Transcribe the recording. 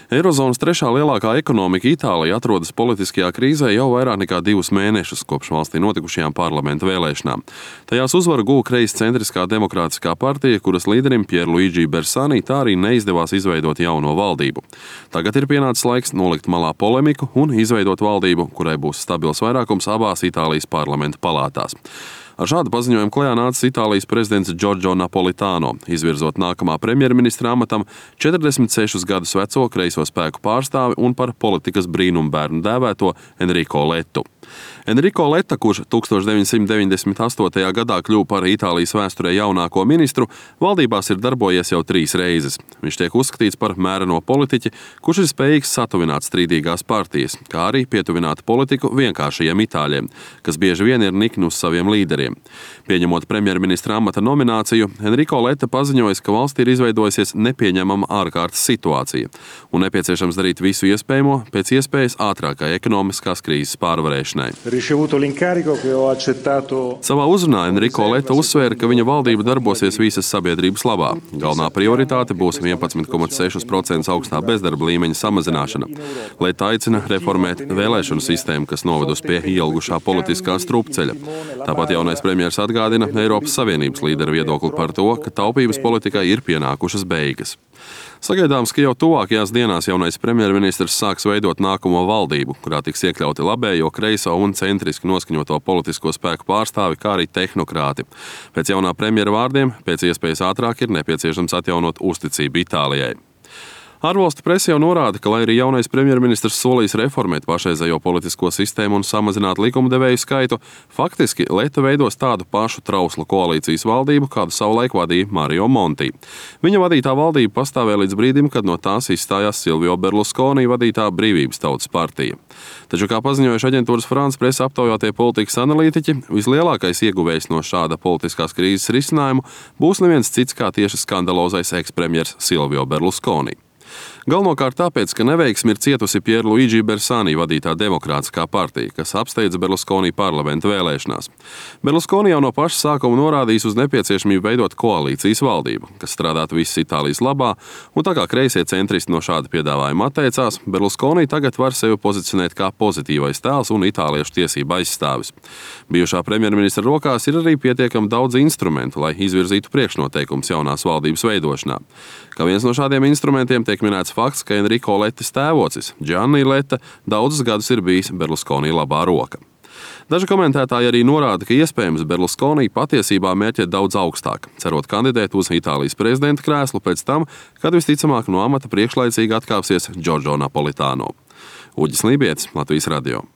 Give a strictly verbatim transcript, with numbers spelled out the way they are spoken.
Eirozonas trešā lielākā ekonomika Itālija atrodas politiskajā krīzē jau vairāk nekā divus mēnešus kopš valstī notikušajām parlamenta vēlēšanām. Tajās uzvaru guva kreiscentriskā demokrātiskā partija, kuras līderim Pierluigi Bersani tā arī neizdevās izveidot jauno valdību. Tagad ir pienācis laiks nolikt malā polemiku un izveidot valdību, kurai būs stabils vairākums abās Itālijas parlamenta palātās. Ar šādu paziņojumu klajā nācis Itālijas prezidents Giorgio Napolitano, izvirzot nākamā premjerministra amatam četrdesmit sešus gadus veco kreiso spēku pārstāvi un par politikas brīnumbērnu dēvēto Enrico Lettu. Enrico Letta, kurš tūkstoš deviņsimt deviņdesmit astotajā gadā kļuva par Itālijas vēsturē jaunāko ministru, valdībās ir darbojies jau trīs reizes. Viņš tiek uzskatīts par mēreno politiķi, kurš ir spējīgs satuvināt strīdīgās partijas, kā arī pietuvināt politiku vienkāršajiem itāļiem, kas bieži vien ir nikni uz saviem līderiem. Pieņemot premjerministra amata nomināciju, Enrico Letta paziņoja, ka valstī ir izveidojusies nepieņemama ārkārtas situācija un nepieciešams darīt visu iespējamo pēc iespējas ātrākai ekonomiskās krīzes pārvarēšanai. Savā uzrunā Enrico Letta uzsvēra, ka viņa valdība darbosies visas sabiedrības labā. Galvenā prioritāte būs vienpadsmit komats seši procenti augstā bezdarba līmeņa samazināšana. Letta aicina reformēt vēlēšanu sistēmu, kas novedusi pie ielgušā politiskā strupceļa. Tāpat jaunais premjers atgādina Eiropas Savienības līderu viedokli par to, ka taupības politikai ir pienākušas beigas. Sagaidāms, ka jau tuvākajās dienās jaunais premjerministrs sāks veidot nākamo valdību, kurā tiks iekļauti labējo, kreiso un centriski noskaņoto politisko spēku pārstāvi, kā arī tehnokrāti. Pēc jaunā premjera vārdiem, pēc iespējas ātrāk ir nepieciešams atjaunot uzticību Itālijai. Ārvalstu presa jau norāda, ka, lai arī jaunais premjerministrs solīs reformēt pašreizējo politisko sistēmu un samazināt likumdevēju skaitu, faktiski Letta veidos tādu pašu trauslu koalīcijas valdību, kādu savulaik vadīja Mario Monti. Viņa vadītā valdība pastāvēja līdz brīdim, kad no tās izstājās Silvio Berlusconi vadītā Brīvības tautas partija. Taču, kā paziņojuši aģentūras France presa aptaujātie politikas analītiķi, vislielākais ieguvējs no šāda politiskās krīzes risinājumu būs neviens cits kā tieši skandalozais ekspremjers Silvio Berlusconi. Galvenokārt tāpēc, ka neveiksmi ir cietusi Pierluigi Bersani vadītā demokrātiskā partija, kas apsteidza Berlusconi parlamenta vēlēšanās. Berlusconi jau no paša sākuma norādījis uz nepieciešamību veidot koalīcijas valdību, kas strādātu visas Itālijas labā, un tā kā kreisie centristi no šāda piedāvājuma atteicās, Berlusconi tagad var sevi pozicionēt kā pozitīvais tēls un itāliešu tiesību aizstāvis. Bijušā premjerministra rokās ir arī pietiekami daudz instrumentu, lai izvirzītu priekšnoteikumus jaunās valdības veidošanā. Kā viens no šādiem instrumentiem tiek minēts fakts, ka Enrico Lettas tēvocis, Gianni Letta, daudzus gadus ir bijis Berlusconi labā roka. Daži komentētāji arī norāda, ka iespējams Berlusconi patiesībā mērķē daudz augstāk, cerot kandidēt uz Itālijas prezidenta krēslu pēc tam, kad visticamāk no amata priekšlaicīgi atkāpsies Giorgio Napolitano. Uģis Lībietis, Latvijas radio.